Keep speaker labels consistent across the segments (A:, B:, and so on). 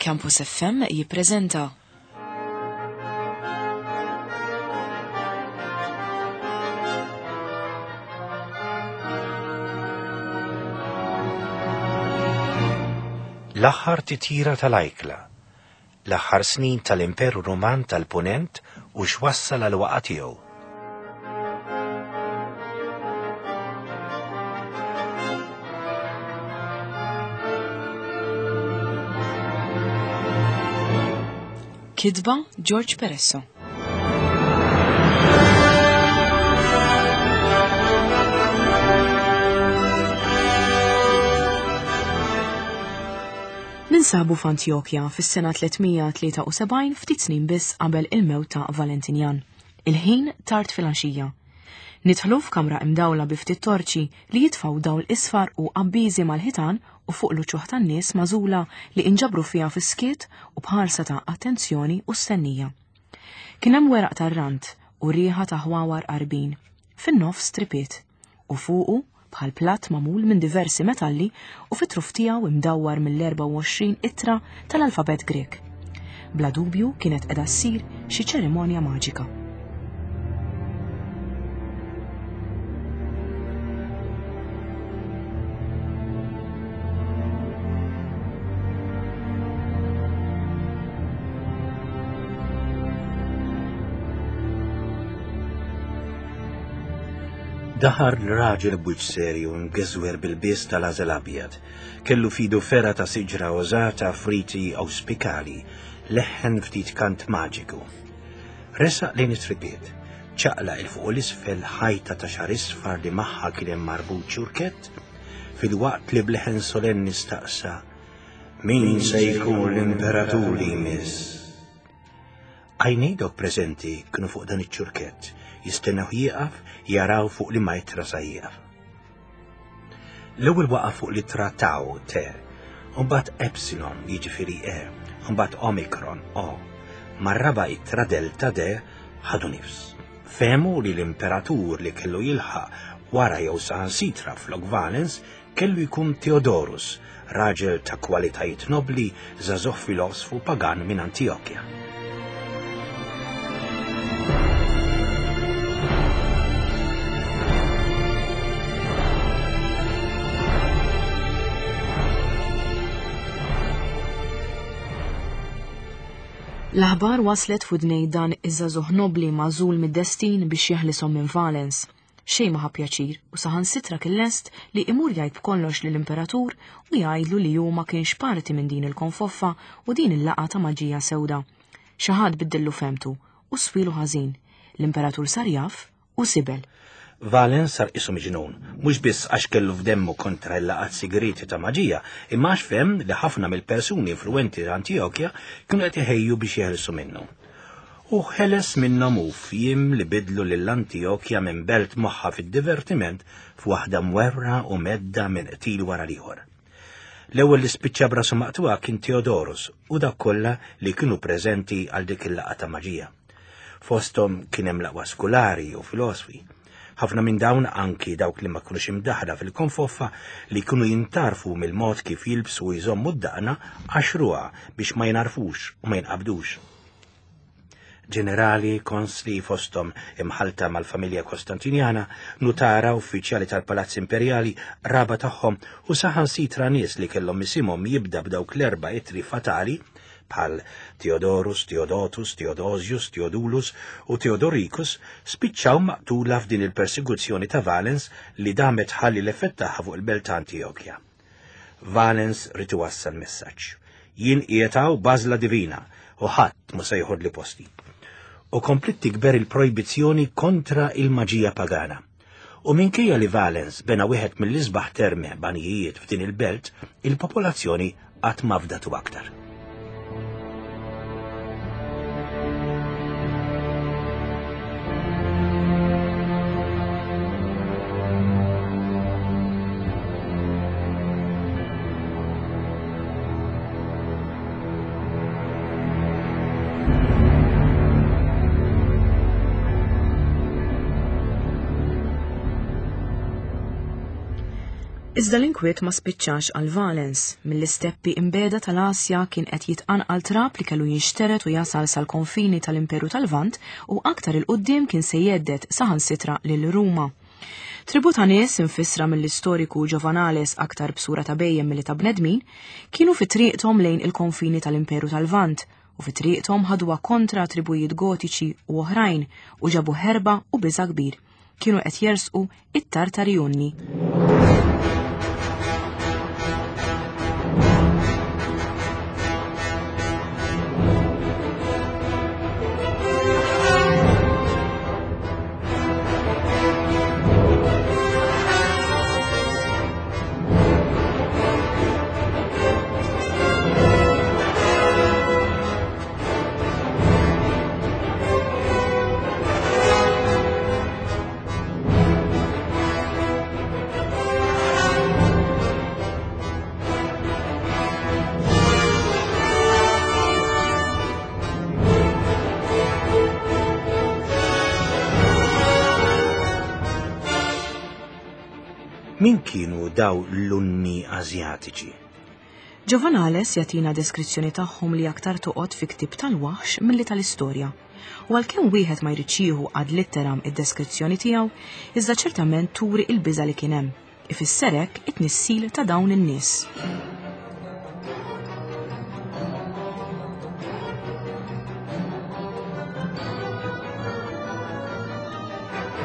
A: Campus FM jippreżenta.
B: L-aħħar titjira tal-ajkla, l-aħħar snin tal-Imperu Ruman tal-Punent u x'wassal għal waqa' tiegħu.
A: Kitba George Peresso. Ninsabu f'Antjokja fis-sena 373 ftit snin biss qabel il-mewt ta' Valentinjan. Il-ħin tard filgħaxija. Nidħlu f'kamra imdawla bi ftit torċi li jitfgħu dawl isfar u abbiżi mal-ħitan u fuq l-uċuħ tan-nies magħżula li inġabru fiha fis-skiet u b'ħarsa ta' attenzjoni u stennija. Kien hemm weraq tar-rand u riħa ta' ħwawar qarbin. Fin-nofs tripiet. u fuqu bħal platt magħmul minn diversi metalli u fit-truf tiegħu imdawwar mill-24 ittra tal-alfabett Grek. Bla dubju kienet qiegħda ssir xi ċerimonja maġika.
B: Daħar l-raġel b'wiċċ serju mgeżwer bil-bies tal-għażel abjad. Kellu fidu fergħa ta' siġra użata f'riti awspikali, leħħen ftit kant maġiku. Resaq lejn it-tripiet, ċaqlaq 'il fuq u 'l isfel ħajta ta' xagħar isfar li magħha kien hemm marbut ċurkett, filwaqt li b'leħen solenni staqsa, Min se jkun l-imperatur li jmiss? Għajnejn dawk preżenti kienu fuq dan iċ-ċurkett, jistennew jieqaf, jaraw fuq liema ittra sa jieqaf. L-ewwel waqaf fuq l-ittra Tau, T, u mbagħad Epsilon, jiġifieri E, u mbagħad Omicron, O. Mar-raba' ittra Delta, D, ħadu nifs. Fehmu li l-imperatur li kellu jilħaq wara jew saħansitra flok Valens Kellu jkun Theodorus, raġel ta' kwalitajiet nobbli, żagħżugħ filosfu pagan minn Antijokja.
A: L-aħbar waslet f'widnej dan iż-żagħżugħ nobbli magħżul mid-destin biex jeħlishom minn Valens. Xejn ma ħa pjaċir u saħansitra kien lest li imur jgħid b'kollox lill-Imperatur u jgħidlu li hu ma kienx parti minn din il-konfoffa u din il-laqgħa ta' maġija sewda. Xi ħadd biddillu fehmtu u swielu ħażin. L-Imperatur sar jaf u sibel.
B: Valens sar qisu miġnun, mhux biss għax kellu f'demmu kontra l-laqgħat sigrieti ta' maġija, imma għax fehem li ħafna mill-persuni influwenti ta' Antijokja kienu qed iħejju biex jeħilsu minnu. Hu ħeles minnhom hu f'jiem li biddlu lil Antijokja minn belt moħħha fid-divertiment f'waħda mwerwra u mhedda minn qtil wara l-ieħor. L-ewwel li spiċċa b'rasu maqtugħa kien Theodorus u dawk kollha li kienu preżenti għal dik il-laqgħa ta' maġija. Fosthom kien hemm l-aqwa skulari u filosfi. Ħafna minn dawn anki dawk li ma kinux imdaħħla fil-konfoffa li kienu jintgħarfu mill-mod kif jilbsu u jżommu d-daqna għaxruha biex ma jingħarfux u ma jinqabdux. Ġenerali, konsli fosthom imħallta mal-familja Kostantinjana, nutara, uffiċjali tal-Palazz Imperjali, qraba tagħhom u saħansitra nies li kellhom isimhom jibda b'dawk l-erba' ittri fatali bħal Theodorus, Theodotus, Theodosius, Theodulus u Theodoricus spiċċaw maqtula f'din il-persekuzzjoni ta' Valens li damet tħalli l-effett tagħha fuq il-belt ta' Antijokja. Valens ried iwassal messaġġ. Jien qiegħed hawn b'għażla divina u ħadd mhu se joħodli posti. U kompliet tikber il-projbizzjoni kontra il-maġija pagana. U minkejja li Valens bena wieħed mill-isbaħ terme banjijiet f'din il-belt, il-popolazzjoni qatt ma fdatu aktar.
A: Iżda l-inkwiet ma spiċċax għal Valens, mill-isteppi imbegħda tal-Asja kien qed jitqanqal trab li kellu jinxtered u jasal sal-konfini tal-Imperu tal-Lvant u aktar 'il quddiem kien se jhedded saħansitra lil Ruma. Tribù ta' nies, imfissra mill-istoriku Giovanales aktar b'sura ta' bhejjem milli ta' bnedmin, kienu fi triqthom lejn il-konfini tal-Imperu tal-Lvant u fi triqthom ħaduha kontra tribujiet Gotiċi u oħrajn u ġabu ħerba u biża' kbir. Kienu qed jersqu it-Tartari Unni.
B: Min kienu daw l-Unni Asjatiċi?
A: Giovanales jagħtina deskrizzjoni tagħhom li aktar toqgħod fi ktieb tal-waħx milli tal-istorja. U għalkemm wieħed ma jridx jieħu ad litteram id-deskrizzjoni tiegħu, iżda ċertament turi il-biża' li kien hemm. Ifisser hekk it-tnissil ta' dawn in-nies.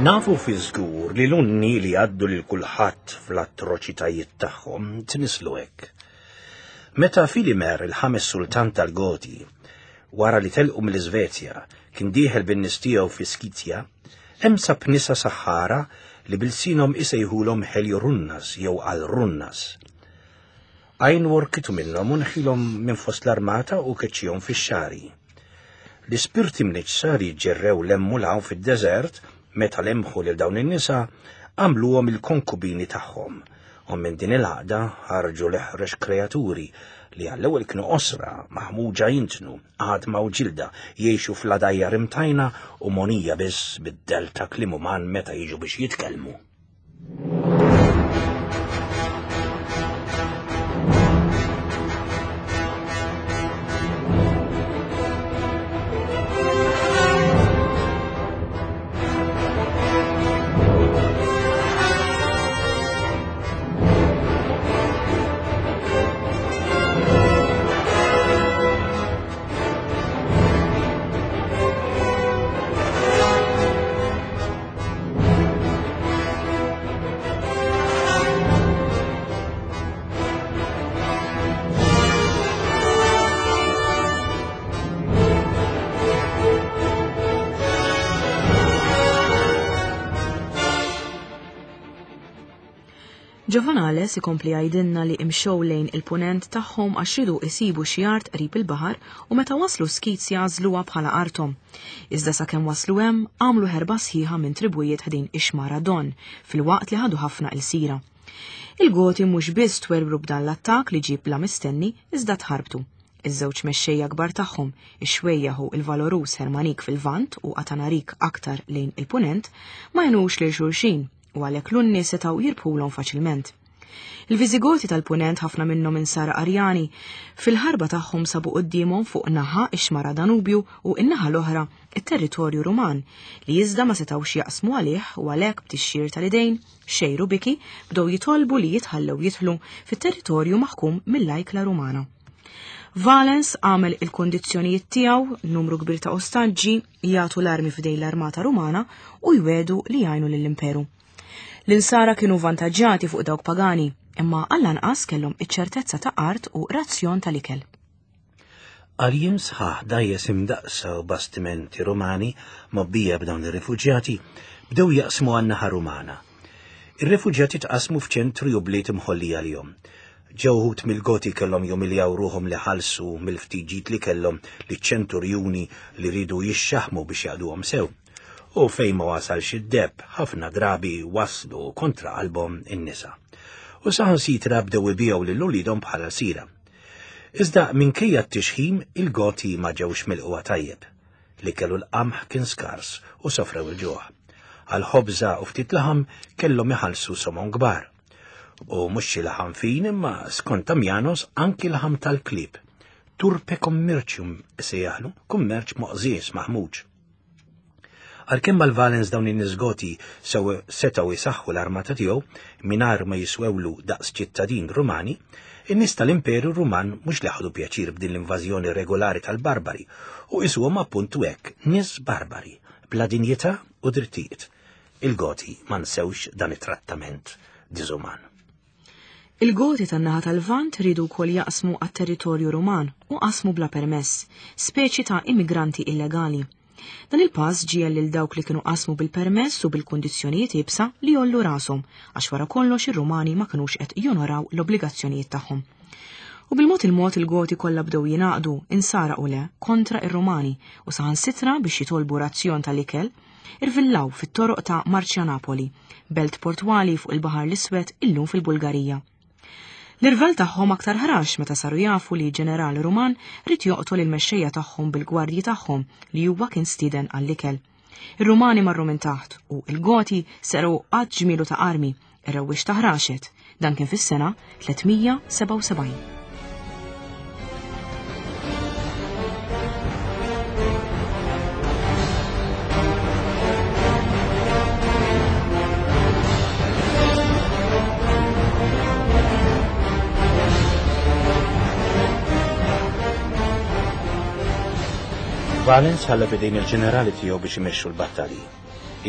B: Nafu fi żgur li l-unni li għaddu lil kulħadd fl-atroċitajiet tagħhom tnislu hekk. Meta Filimer, il-ħames sultan tal-Goti, wara li telqu mill-Iżvezja, kien dieħel bin-nies tiegħu fi Skizja, Hemm sab nisa saħħara li b'ilsienhom isejħulhom Heliorunnas jew Alrunnas. Għajn workitu minnhom u nħilhom minn fost l-armata u keċċihom fix-xagħri. L-ispirti mniġġsa li ġġerrew 'l hemm u 'l hawn fid-deżert meta lemħu lil dawn in-nisa għamluhom il-konkubini tagħhom u minn din il-għaqda ħarġu l-eħrex kreaturi li għall-ewwel kienu qosra, maħmuġa jintnu, għadma u ġilda, jgħixu fl-għadajjar imtajna u mogħnija biss bid-dell ta' kliem uman meta jiġu biex jitkellmu.
A: Giovanales ikompli jgħidilna li imxew lejn il-punent tagħhom għax riedu isibu xi art qrib il-baħar u meta waslu Skizja għażluha bħala arthom. Iżda sakemm waslu hemm, għamlu ħerba sħiħa minn tribujiet ħdejn ix-xmara Don, filwaqt li ħadu ħafna ilsira. Il-Goti mhux biss twerwru b'dan l-attakk li ġie bla mistenni, iżda tħarbtu. Iż-żewġ mexxejja kbar tagħhom, ix-xwejjaħ u l-valoruż Hermanik fil-Lvant u Atanarik aktar lejn il-Punent, ma għenux lil xulxin u għalhekk l-Unni setgħu jirbħulhom faċilment. Il-Viżigoti tal-Punent ħafna minnhom insara Arjani, fil-ħarba tagħhom sabu quddiemhom fuq naħa ix-xmara Danubju u n-naħa l-oħra it-territorju Ruman, li iżda ma setgħux jaqsmu għalih u għalhekk b'tixxir tal-idejn, xejr u biki, bdew jitolbu li jitħallew jidħlu fit-territorju maħkum mill-ajkla Rumana. Valens għamel il-kondizzjonijiet tiegħu, numru kbir ta' ostaġġi, jagħtu l-armi f'idejn l-armata Rumana u jwiegħdu li jgħinu lill-imperu. L-insara kienu vantaġġjati fuq dawk pagani, imma għall-anqas kellhom iċ-ċertezza ta' art u razzjon tal-ikel.
B: Għal jiem sħaħ dgħajjes imdaqqsa u bastimenti Rumani mgħobbija b'dawn ir-rifuġjati bdew jaqsmu għan-naħa Rumana. Ir-rifuġjati tqassmu f'ċentri u bliet imħollija għalihom. Ġew uħud mill-Goti kellhom jumiljaw ruħhom li ħallsu mill-ftit ġid li kellhom liċ-ċenturjuni li riedu jixxaħħmu biex jaqduhom sew. U fejn ma wasalx id-deheb, ħafna drabi waslu kontra qalbhom in-nisa. U saħansitra bdew ibigħu lil uliedhom bħala lsira. Iżda minkejja t-tixħim, il-Goti ma ġewx milqugħa tajjeb. L-ikel u l-qamħ kien skars u sofrew il-ġuħ. Għal ħobża u ftit laħam kellhom iħallsu somom kbar. U mhux xi laħam fin imma skont Damianos anki laħam tal-klieb. Turpe commercium sejjaħlu, kummerċ moqżież maħmuġ. Għalkemm mal-Valens dawn in-nies Goti sew setgħu jsaħħu l-armata tiegħu mingħajr ma jiswewlu daqs ċittadin Rumani, in-nies tal-Imperu Ruman mhux li ħadu pjaċir b'din l-invażjoni regolari tal-barbari u qisuhom appuntu hekk nies barbari, bla dinjità u drittijiet. Il-Goti ma nsewx dan it-trattament diżuman.
A: Il-Goti tan-naħa tal-Lvant riedu wkoll jaqsmu għat-territorju Ruman u qasmu bla permess, speċi ta' immigranti illegali. Dan il-pass ġiegħel lil dawk li kienu qasmu bil-permess u bil-kundizzjonijiet iebsa li jgħollu rashom għax wara kollox ir-Rumani ma kinux qed jonoraw l-obbligazzjonijiet tagħhom. U bil-mod il-mod il-Goti kollha bdew jingħaqdu, insara u le, kontra ir-Rumani u saħansitra biex jitolbu razzjon tal-ikel, irvillaw fit-toroq ta' Marcianapoli, belt portwali fuq il-Baħar l-Iswed illum fil-Bulgarija. L-irvell tagħhom aktar ħrax meta saru jafu li ġeneral Ruman ried joqtol il-mexxejja tagħhom bil-gwardji tagħhom li huwa kien stieden għall-ikel. Ir-Rumani marru minn taħt u il-Goti serqu għadd ġmielu ta' armi, ir-rewwixta ħraxet. Dan kien fis-sena 377.
B: Valens ħalla f'idejn il-ġenerali tiegħu biex imexxu l-battalji.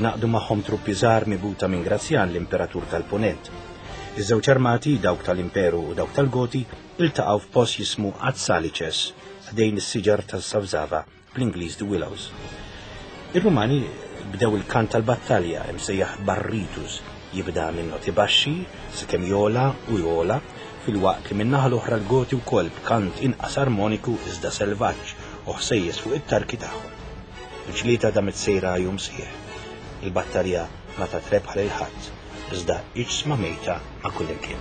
B: Ingħaqdu magħhom truppi żgħar mibgħuta minn Grazjan l-Imperatur tal-Punent. Iż-żewġ armati, dawk tal-Imperu u dawk tal-Goti, iltaqgħu f'post jismu Azzalices, ħdejn is-siġar tas-Savzava, bl-Ingliż The Willows. Ir-Rumani bdew il-kant tal-battalja imsejjaħ Barritus, jibda minn noti baxxi sakemm jogħla u jogħla, filwaqt li min-naħa l-oħra l-Goti wkoll b'kant inqas armoniku iżda selvaġġ u ħsejjes fuq it-tarki tagħhom. Il-ġlieda damet sejra jum sħiħ. Il battalja ma tat rebħa lil ħadd, iżda iġsma mejta ma' kullimkien.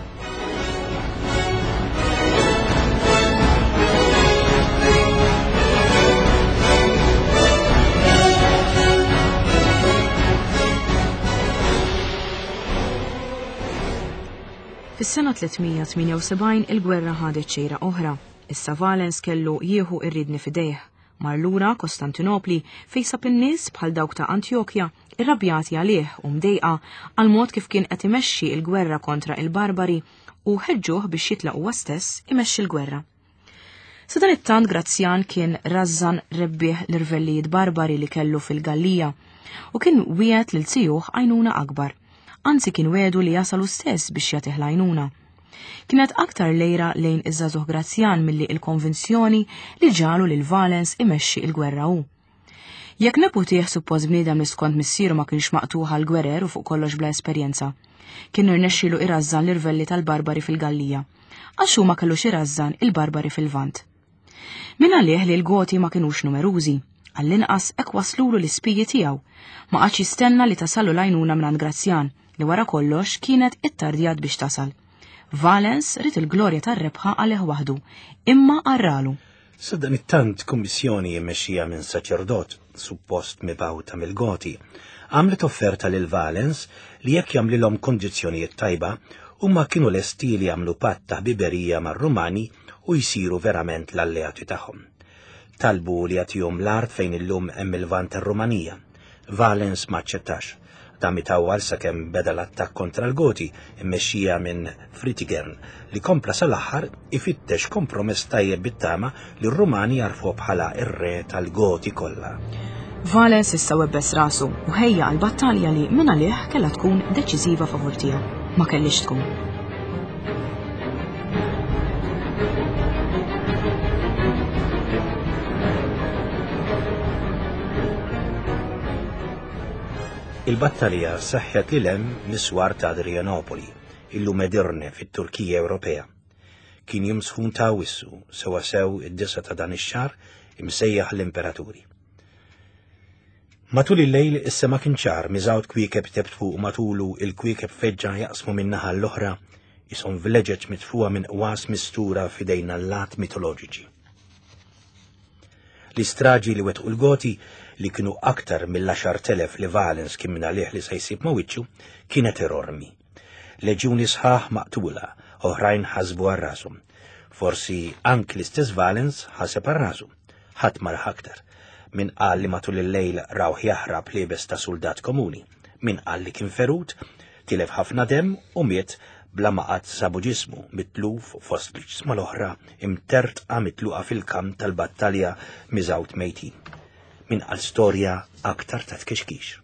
A: Fis-sena 378 il-gwerra ħadet xejra oħra. Issa Valens kellu jieħu ir-riedni f'idejh. Mar lura Kostantinopli fejn sab in-nies bħal dawk ta' Antjokja irrabjati għalih u mdejqa għall-mod kif kien qed imexxi l-gwerra kontra il-Barbari u ħeġġuh biex jitlaq huwa stess imexxi l-gwerra. Sadanittant Grazzjan kien rażżan rebbieħ l-irvellijiet barbari li kellu fil-Gallija u kien wiegħed lil zijuh għajnuna akbar. Anzi kien wiegħdu li jasal hu stess biex jagħtih l-għajnuna. Kienet aktar l-għira lejn iż-żagħżugħ Grazzjan milli l-konvinzjoni li ġagħlu lil Valens imexxi l-gwerra hu. Jekk neputih suppost bniedem li skont missieru ma kienx maqtugħ għall-gwerer u fuq kollox bla esperjenza, kien irnexxielu irażżan l-irvelli tal-Barbari fil-Gallija, għax hu ma kellux irażżan il-Barbari fil-Lvant. Min għalih li l-Goti ma kinux numerużi, għall-inqas hekk waslulu l-ispiji tiegħu, ma qagħadx jistenna li tasallu l-għajnuna mingħand Grazzjan, li wara kollox kienet ittardjat biex tasal. Valens ried il-glorja tar-rebħa għalih waħdu, imma qarralu.
B: Sadanittant kummissjoni mmexxija minn saċerdot, suppost mibgħuta mill-Goti, għamlet offerta lil Valens li jekk jagħmlilhom kondizzjonijiet tajba, huma kienu lesti li jagħmlu patt ta' ħbiberija mar-Rumani u jsiru verament l-alleati tagħhom. Talbu li jagħtihom l-art fejn illum hemm il-Lvant tar-Rumanija. Valens ma aċċettax. Dam itawwal sakemm beda l-attakk kontra l-Goti, immexxija minn Fritigern, li kompla sal-aħħar ifittex kompromess tajjeb bit-tama li r-Rumani jagħrfuh bħala r-re tal-Goti kollha.
A: Valens issa webbes rasu u ħejja għal battalja li mingħalih kellha tkun deċiżiva favur tiegħu. Ma kellhiex tkun.
B: Il-battalja seħħet lil hemm mis-swar ta' Adrianopoli, illum Edirne fit-Turkija Ewropea. Kien jum sħun ta' Awwissu, sewwasew id-disa ta' dan ix-xahar imsejjaħ l-Imperaturi. Matul il-lejl is-sema kien ċar, miżgħud kwiekeb tebtfu u matulu il-kwiekeb feġġa jaqsmu minn naħa l-oħra ishom vleġeġ mitfuha minn qwas mistura f'idejn allat mitoloġiċi. L-istraġi li wettqu l-Goti, li kienu aktar mill-10,000 li Valens kien minn għalih li se jsib ma' wiċċu, kienet erormi. Leġjuni sħaħ maqtula, oħrajn ħasbu għal rashom. Forsi anki l-istess Valens ħaseb għal rasu. Ħadd ma rah aktar. Min qal li matul il-lejl rawh jaħrab liebes ta' suldat komuni. Min qal li kien ferut, tilef ħafna demm u miet bla ma qatt sabu ġismu mitluf fost l-ġisma l-oħra imtertqa mitluqa fil-kamp tal-battalja miżgħud mejtin. Min qal storja aktar ta' tkixkix.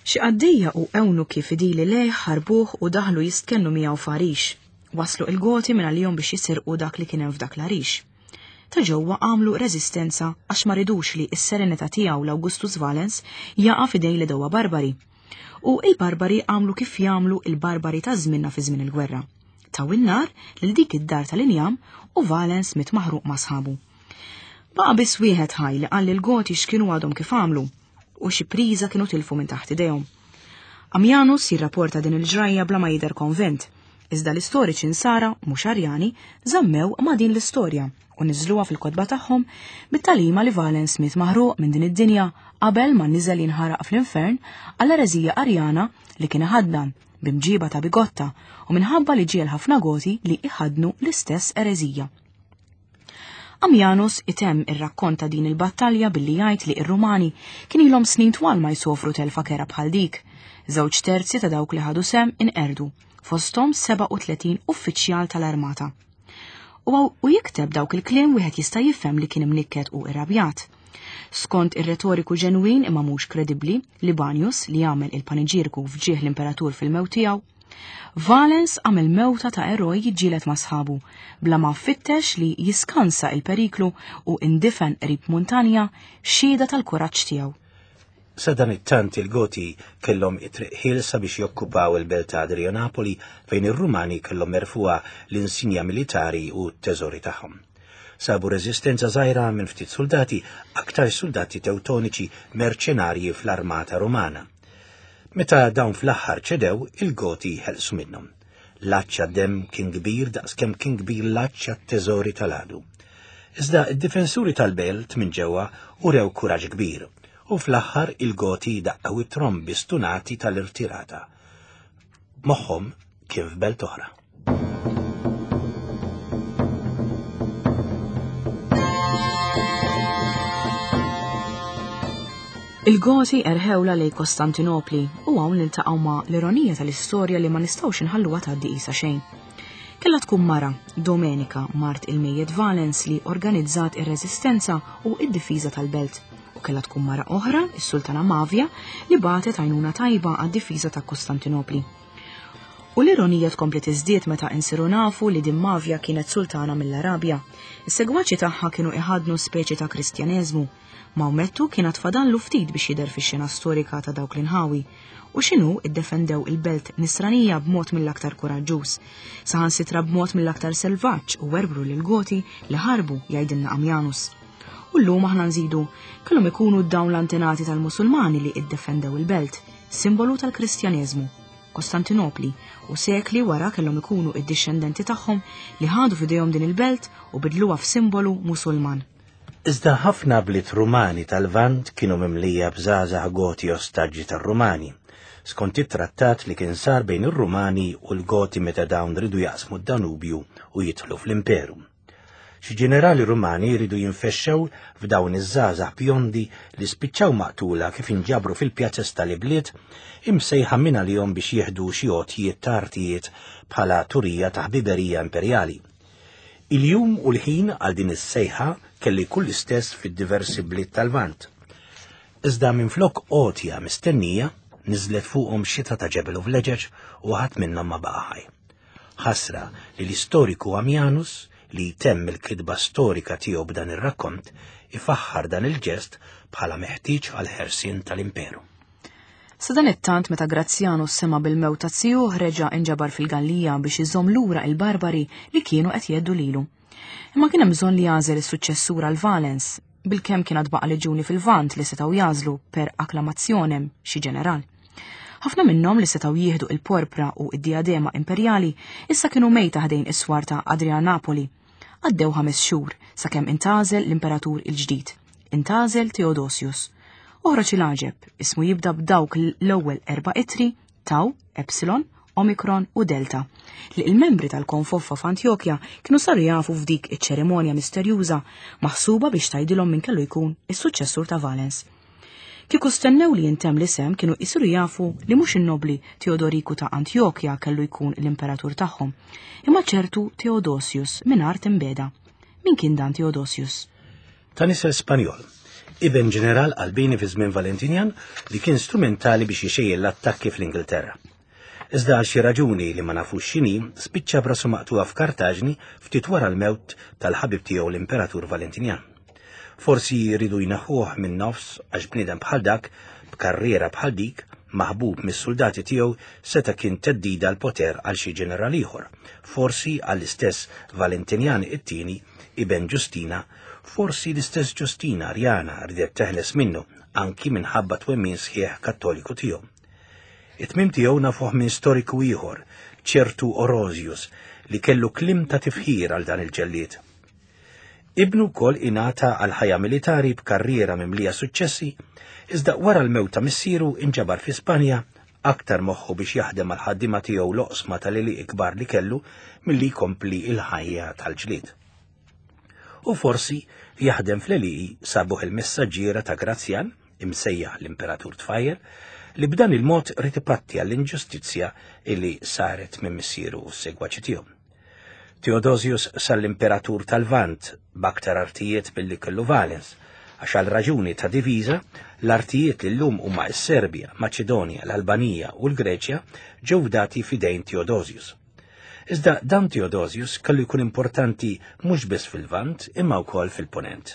A: Xi qaddejja u ewnuki fidili lejh ħarbuh u daħlu jistkennu miegħu f'għarix. Waslu il-Goti minn għalihom biex jisirqu dak li kien hemm f'dak l-għarix. Ta' ġewwa għamlu reżistenza għax ma ridux li s-serenità tiegħu l-Augustus Valens jaqa' f'idejn l-għedewwa barbari. U il-barbari għamlu kif jagħmlu il-barbari ta' żmienna fi żmien il-gwerra. Taw in-nar lil dik id-dar tal-injam u Valens miet maħruq ma' sħabu. Baqa' biss wieħed ħaj li qal lill-Goti x'kienu għadhom kif għamlu u xi priża kienu tilfu minn taħt idejhom. Ammianus jirrapporta din il-ġrajja bla ma jidher konvint, iżda l-istoriċi nsara, mhux Arjani, żammew ma' din l-istorja u niżżluha fil-kotba tagħhom bit-tagħlima li Valens miet maħruq minn din id-dinja qabel ma niżel jinħaraq fl-infern għall-ereżija Arjana li kien iħaddan b'imġiba ta' bigotta u minħabba li ġiegħel ħafna Goti li iħaddnu l-istess ereżija. Ammianus itemm ir-rakkont ta' din il-battalja billi jgħid li r-Rumani kien ilhom snin twal ma jsofru telfa kerha bħal dik. Żewġ terzi ta' dawk li ħadu sehem inqerdu, fosthom 37 uffiċjal tal-armata. U u jikteb dawk il-kliem wieħed jista' jifhem li kien imnikket u irrabjat. Skont ir-retoriku ġenwin imma mhux kredibbli, Libanius li għamel il-paniġierku f'ġieħ l-imperatur fil-mewt tiegħu, Valens għamel mewta ta' eroj jiġġieled ma' sħabu, bla ma fittex li jiskansa il-periklu u indifen qrib muntanja xhieda tal-kuraġġ tiegħu.
B: Sadanittant il-Goti kellhom it-triq ħielsa biex jokkupaw il-belt ta' Adrianapoli fejn ir-Rumani kellhom merfugħa l-insinja militari u t-teżori tagħhom. Sabu reżistenza żgħira minn ftit suldati, aktar suldati Tewtoniċi merċenarji fl-armata Rumana. Meta dawn fl-aħħar ċedew, il-Goti ħelsu minnhom. L-għatx għad-demm kien kbir daqskemm kien kbir l-għatx għat-teżori tal-għadu. Iżda d-difensuri tal-belt minn ġewwa urew kuraġġ kbir u fl-aħħar il-Goti daqqew it-trombi stunati tal-irtirata. Moħħhom kien f'belt oħra.
A: Il-Goti erħewla lej Kostantinopli u hawn niltaqgħu ma' l-ironija tal-istorja li ma nistgħux inħalluha tgħaddi qisha xejn. Kellha tkun mara, Domenica, mart il-mejjet Valens li organizzat ir-reżistenza u id-difiża tal-belt. U kellha tkun mara oħra, is-Sultana Mavia, li bagħtet għajnuna tajba għad-difiża ta' Kostantinopli. U l-ironija tkompli tiżdied meta insiru nafu li din Mavja kienet sultana mill-Arabja. Is-segwaċi tagħha kienu iħaddnu speċi ta' Kristjaneżmu. Mawmettu kien għad fadallu ftit biex jidher fix-xena storika ta' dawk l-inħawi. U x'inhu iddefendew il-belt Nisranija b'mod mill-aktar kuraġġuż. Saħansitra b'mod mill-aktar selvaġġ u werbru lill-Goti li ħarbu, jgħidilna Ammianus. U llum aħna nżidu, kellhom ikunu dawn l-antenati tal-Musulmani li iddefendew il-belt, simbolu tal-Kristjaneżmu. Kostantinopli, u sekli wara kellhom ikunu id-dixxendenti tagħhom li ħadu f'idejhom din il-belt u bidluha f'simbolu Musulman.
B: Iżda ħafna bliet Rumani tal-Lvant kienu mimlija b'żgħażagħ Goti ostaġġi tar-Rumani, skont it-trattat li kien sar bejn ir-Rumani u l-Goti meta dawn riedu jaqsmu d-Danubju u jidħlu fl-Imperu. Xi ġenerali Rumani jridu jinfexxew f'dawn iż-żgħażagħ bjondi li spiċċaw maqtula kif inġabru fil-pjazez tal-ibliet imsejħa minn għalihom biex jieħdu xi għotjiet ta' artijiet bħala turija ta' ħbiberija imperjali. Il-jum u l-ħin għal din is-sejħa kelli jkun l-istess fid-diversi bliet tal-Lvant. Iżda minflok għotja mistennija, niżlet fuqhom xita ta' ġebel u vleġeġ u ħadd minnhom ma baqa' ħaj. Ħasra li l-istoriku Ammianus, li jtemm il-kitba storika tiegħu b'dan ir-rakkont, ifaħħar dan il-ġest bħala meħtieġ għall-ħelsien tal-imperu.
A: Sadanittant meta Grazzjanu sema' bil-mewt ta' zijuh reġa' inġabar fil-Gallija biex iżomm lura il-Barbari li kienu qed jgħeddu lilu. Imma kien hemm bżonn li jagħżel is-suċċessur għal Valens, bilkemm kien għad baqa' leġjuni fil-Lvant li setgħu jagħżlu per acclamationem xi ġeneral. Ħafna minnhom li setgħu jieħdu il-porpra u id-diadema imperjali issa kienu mejta ħdejn is-swar ta' Adrianapoli. Għaddew ħames xhur sakemm intgħażel l-imperatur il-ġdid. Intgħażel Theodosius. Oħroġ il-għaġeb, ismu jibda b'dawk l-ewwel erba' ittri, Tau, Epsilon, Omicron u Delta, li il-membri tal-konfoffa f'Antjokja kienu saru jafu f'dik iċ-ċerimonja misterjuża maħsuba biex tgħidilhom min kellu jkun is-suċċessur ta' Valens. Kieku stennew li jintemm l-isem kienu jsiru jafu li mhux in-nobbli Teodoriku ta' Antjokja kellu jkun l-imperatur tagħhom, imma ċertu Theodosius minn art imbeda. Min kien dan Theodosius?
B: Ta' nisel Spanjol, iben ġeneral qalbieni fi żmien Valentinjan li kien strumentali biex ixejjen l-attakki fl-Ingilterra. Iżda għal xi raġuni li ma nafux x'inhi, spiċċa b'rasu maqtugħa f'Kartaġni ftit wara l-mewt tal-ħabib tiegħu l-Imperatur Valentinjan. Forsi jridu jneħħuh minn nofs għax bniedem bħal dak, b'karriera bħal dik, maħbub mis-suldati tiegħu seta' kien theddida l-poter għal xi ġeneral ieħor, forsi għall-istess Valentinjan it-tieni, iben Ġustina, forsi l-istess Ġustina Arjana riedet teħles minnu anki minħabba twemmin sħiħ Kattoliku tiegħu. It-tmiem tiegħu nafuh minn storiku ieħor, ċertu Orosius, li kellu kliem ta' tifħir għal dan il-ġellied. Ibnu wkoll ingħata għal ħajja militari b'karriera mimlija suċċessi, iżda wara l-mewt ta' missieru inġabar fi Spanja aktar moħħu biex jaħdem għal ħaddiema tiegħu l-oqsma tal-għelieqi kbar li kellu milli jkompli l-ħajja tal-ġlied. U forsi jaħdem fl-għelieqi sabuh il-messaġġiera ta' Grazjan, imsejjaħ l-Imperatur Tfajjel, li b'dan il-mod ried ipatti għall-inġustizzja illi saret minn missieru u s-segwaċi tiegħu. Theodosius sar l-Imperatur tal-Lvant b'aktar artijiet milli kellu Valens, għax għal raġuni ta' diviża, l-artijiet li llum huma s-Serbja, Maċedonja, l-Albanija u l-Greċja ġew fdati f'idejn Theodosius. Iżda dan Theodosius kellu jkun importanti mhux biss fil-Lvant imma wkoll fil-Punent.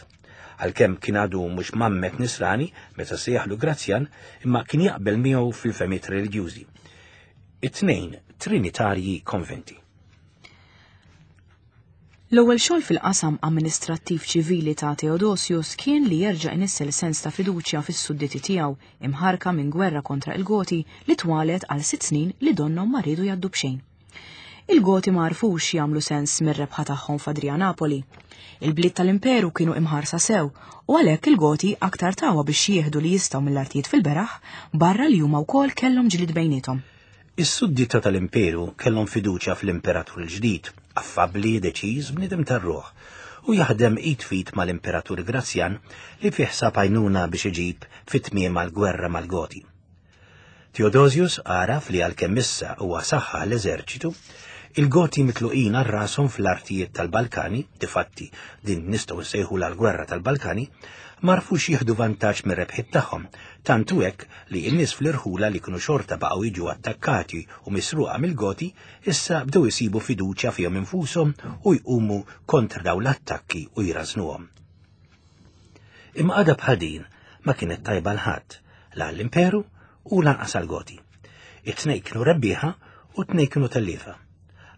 B: Għalkemm kien għadu mhux mammet Nisrani meta sejjaħlu Grazjan, imma kien jaqbel miegħu fil-fehmiet reliġjużi. It-tnejn Trinitarji konvinti.
A: L-ewwel xogħol fil-qasam amministrattiv ċivili ta' Theodosius kien li jerġa' inissel sens ta' fiduċja fis-sudditi tiegħu imħarka minn gwerra kontra il-Goti li twalet għal sitt snin li donnhom ma riedu jgħaddu b'xejn. Il-Goti ma għarfux jagħmlu sens mir-rebħa tagħhom f'Adrianapoli. Il-bliet tal-imperu kienu imħarsa sew u għalhekk il-Goti aktar tawha biex jieħdu li jistgħu mill-artijiet fil-beraħ barra li huma wkoll kellhom ġlied bejniethom.
B: Is-suddita tal-Imperu kellhom fiduċja fl-Imperatur il-ġdid, affabbli, deċiż, bniedem tar-ruħ, u jaħdem id f'id mal-Imperatur Grazjan li fih sab għajnuna biex iġib fi tmiemha l-gwerra mal-Goti. Theodosius għaraf li għalkemm issa huwa saħħaħ l-eżerċitu, il-Goti mitluqin għal rashom fl-artijiet tal-Balkani, difatti din nistgħu nsejħulha l-Gwerra tal-Balkani, m'għarfux jieħdu vantaġġ mir-rebħiet tagħhom, tant hu hekk li n-nies fl-irħula li kienu xorta baqgħu jiġu attakkati u misruqa mill-Goti issa bdew isibu fiduċja fihom infushom u jqumu kontra dawn l-attakki u jrażżnuhom. Imma qagħda bħal din ma kienet tajba għal ħadd, la għall-Imperu u lanqas għall-Goti. It-tnejn kienu rebbieħa u t-tnejn kienu telliefa.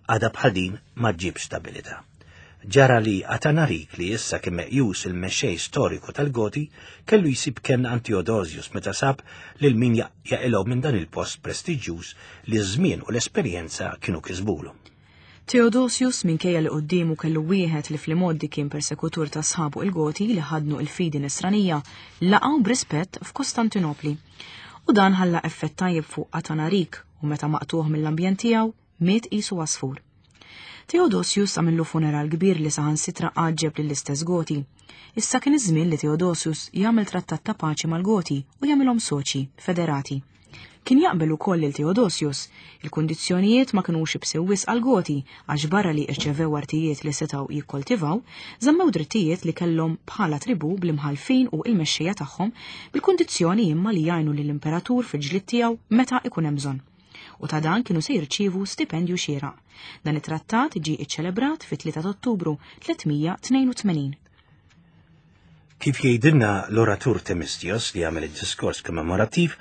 B: Qagħda bħal din ma ġġibx stabilità. Ġara li Atanarik li issa kien meqjus il-mexxej storiku tal-Goti kellu jsib kenn għand Theodosius meta sab lil min jaqilgħu minn dan il-post prestiġjuż li ż-żmien u l-esperjenza kienu kisbulu.
A: Theodosius, minkejja li quddiemu kellu wieħed li fl-imgħoddi kien persekutur ta' sħabu il-Goti li ħaddnu il-fidi Nisranija, laqgħu b'rispett f'Kostantinopli. U dan ħalla effett tajjeb fuq Atanarik u meta maqtugħ mill-ambjent tiegħu, miet qisu għasfur. Theodosius għamillu funeral kbir li saħansitra għaġġeb lill-istess Goti. Issa kien iż-żmien li Theodosius jagħmel trattat ta' paċi mal-Goti u jagħmilhom soċi, federati. Kien jaqbel ukoll lil Theodosius. Il-kundizzjonijiet ma kinux ibsew wisq għall-Goti għax barra li rċevew artijiet li setgħu jikkoltivaw, żammew drittijiet li kellhom bħala tribù bl-imħallfin u l-mexxejja tagħhom bil-kundizzjoni imma li jgħinu lill-imperatur fil-ġlied tiegħu meta ikun hemm bżonn. U ta' dan kienu se jirċievu stipendju xieraq. Dan it-trattat ġie iċċelebrat fit-3 ta' Ottubru 382.
B: Kif jgħidilna l-oratur Temistios li għamel id-diskors kommemorattiv,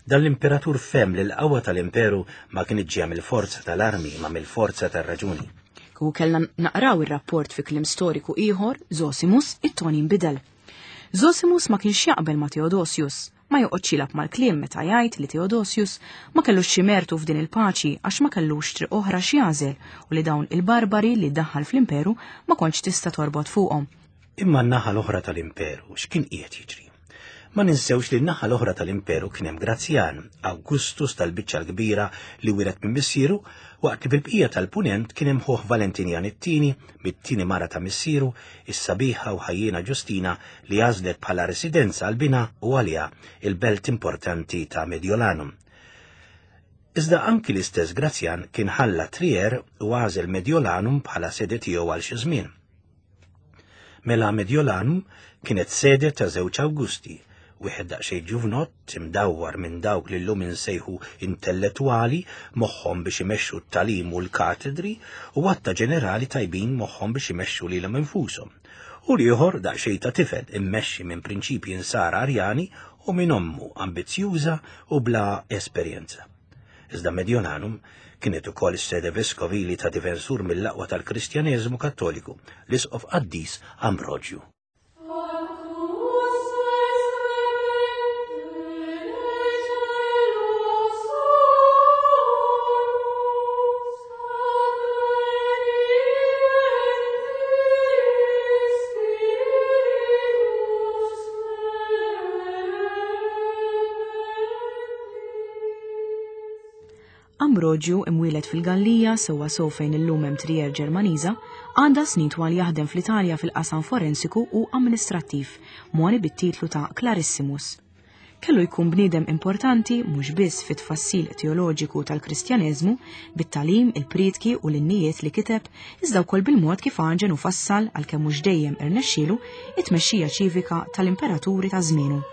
B: dan l-imperatur fehem li l-qawwa tal-imperu ma kinitx ġejja mill-forza tal-armi imma mill-forza tar-raġuni.
A: Kieku kellna naqraw ir-rapport fi kliem storiku ieħor, Zosimus, it-ton jinbidel. Zosimus ma kienx jaqbel ma' Theodosius, ma joqgħodx jilgħab mal-kliem meta jgħid li Theodosius ma kellux xi mertu f'din il-paċi għax ma kellux triq oħra x'jagħżel u li dawn il-barbari li daħħal fl-imperu ma kontx tista' torbot fuqhom.
B: Imma n-naħa l-oħra tal-imperu x'kien qiegħed jiġri? Ma ninsewx li n-naħa l-oħra tal-imperu kien hemm Grazjan, Augustus tal-biċċa l-kbira li wiret minn missieru, waqt li fil-bqija tal-punent kien hemm ħuh Valentinjan it-tieni, mit-tieni mara ta' missieru, is-sabiħa u ħajjiena Ġustina li għażlet bħala residenza għal binha u għaliha il-belt importanti ta' Mediolanum. Iżda anki l-istess Grazjan kien ħalla Trier u għażel Mediolanum bħala sede tiegħu għal xi żmien. Mela Mediolanum kienet sede ta' żewġ Awgusti, wieħed daqsxejn ġuvnott imdawwar minn dawk li llum insejħu intellettwali moħħhom biex imexxu t-tagħlim u l-katedri u għadd ta' ġenerali tajbin moħħhom biex imexxu lilhom infushom. U l-ieħor daqsxejn ta' tifel immexxi minn prinċipji nsara Arjani u minn ommu ambizzjuża u bla esperjenza. Iżda Mediolanum kienet ukoll is-sede veskovili ta' difensur mill-aqwa tal-Kristjaneżmu Kattoliku, l-Isqof Qaddis Ambroġju.
A: Ambroġju, imwieled fil-Gallija, sewwa sew fejn illum hemm Trier Ġermaniża, għadda snin twal jaħdem fl-Italja fil-qasam forensiku u amministrattiv, mogħni bit-titlu ta' Clarissimus. Kellu jkun bniedem importanti mhux biss fit-tfassil teoloġiku tal-Kristjaneżmu, bit-tagħlim, il-prietki u l-innijiet li kiteb, iżda wkoll bil-mod kif għaġen u fassal, għalkemm mhux dejjem irnexxielu, it-tmexxija ċivika tal-imperaturi ta' żmienu.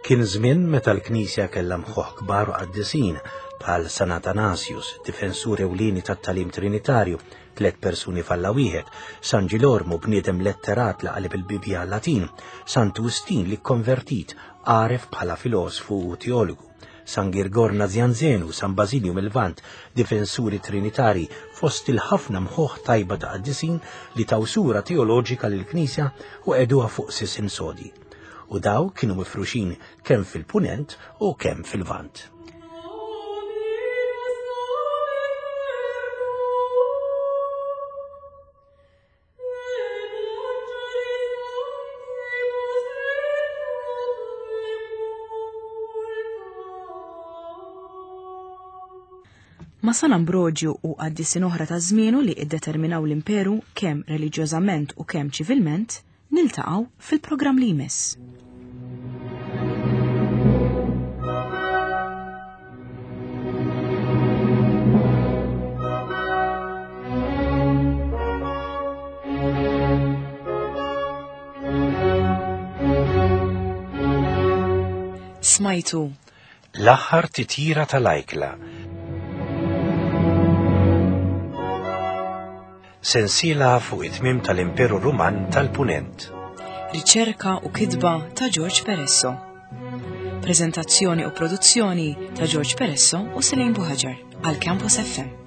B: Kien żmien meta l-Knisja kellha mħuħ kbar u qaddisin bħal San Atanasius, difensur ewlieni tat-tagħlim Trinitarju, tlett persuni f'Alla wieħed, San Ġilormu, bniedem letterat li qaleb il-Bibbja għal-Latin, Santu Wistin li kkonvertit, għaref bħala filosfu u teologu, San Girgor Nazianzenu, San Bażilju mil-Lvant, difensuri Trinitari, fost il-ħafna mħuħ tajba ta' qaddisin li taw sura teoloġika lill-Knisja u qegħduha fuq sisien sodi. U daw kienu mifruxin kemm fil-punent u kemm fil-vant.
A: Ma' San Ambroġju u qaddisin oħra ta' żmienu li iddeterminaw l-imperu kemm reliġjożament u kemm ċivilment, Niltaqgħu fil-programm li jmiss. Smajtu
B: L-aħħar titjira tal-ajkla. Sensiela fuq it-tmiem tal-Imperu Ruman tal-Punent.
A: Riċerka u kitba ta' George Peresso. Preżentazzjoni u produzzjoni ta' George Peresso u Selene Buhaġar għal Campus FM.